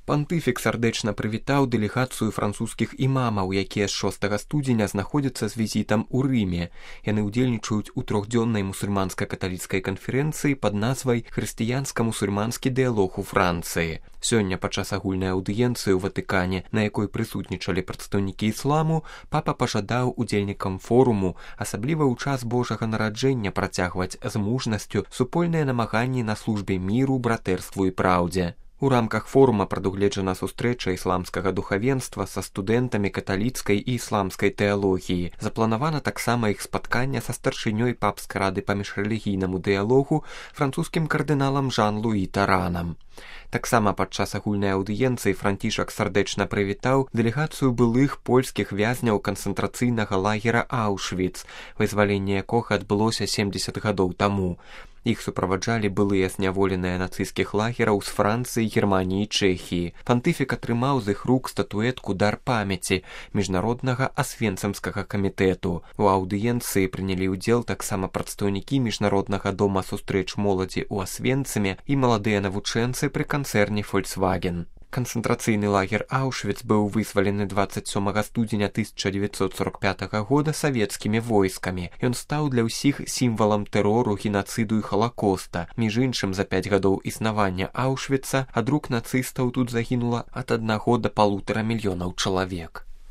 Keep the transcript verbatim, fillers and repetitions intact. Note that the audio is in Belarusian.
Пантыфік сардэчна прывітаў дэлегацыю французскіх імамаў, якія з шостага студзеня знаходзяцца з візітам у Рыме. Яны ўдзельнічаюць у трохдзённай мусульманска-каталіцкай канферэнцыі пад назвай «Хрысціянска-мусульманскі дыялог у Францыі». Сёння падчас агульнай аўдыенцыі ў Ватыкане, на якой прысутнічалі прадстаўнікі ісламу, папа пажадаў удзельнікам форуму, асабліва ў час Божага нараджэння, працягваць з мужнасцю супольныя намаганні на службе міру, братэрству і праўдзе. У рамках форума прадугледжана сустрэча ісламскага духавенства са студэнтамі каталіцкай і ісламскай тэалогіі. Запланавана таксама іх спатканне са старшынёй папскай рады па міжрэлігійнаму дыялогу французскім кардыналам Жан-Луі Таранам. Таксама падчас агульнай аўдыенцыі Францішак сардэчна прывітаў дэлегацыю былых польскіх вязняў канцэнтрацыйнага лагера Аўшвіц, вызваленне якога адбылося семдзесят гадоў таму. Іх суправаджалі былыя зняволеныя нацысцкіх лагераў з Францыі, Германіі і Чэхіі. Пантыфік атрымаў з іх рук статуэтку «Дар памяці» міжнароднага асвенцымскага камітэту. У аўдыенцыі прынялі ўдзел таксама прадстаўнікі міжнароднага дома сустрэч моладзі ў Асвенцыме і маладыя навучэнцы пры канцэрне «Фольксваген». Канцэнтрацыйны лагер Аўшвіц быў вызвалены дваццаць сёмага студзеня тысяча дзевяцьсот сорок пятага года савецкімі войскамі. Ён стаў для ўсіх сімвалам тэрору, генацыду і халакоста. Між іншым, за пяць гадоў існавання Аўшвіца ад рук нацыстаў тут загінула ад аднаго да палутара мільёнаў чалавек.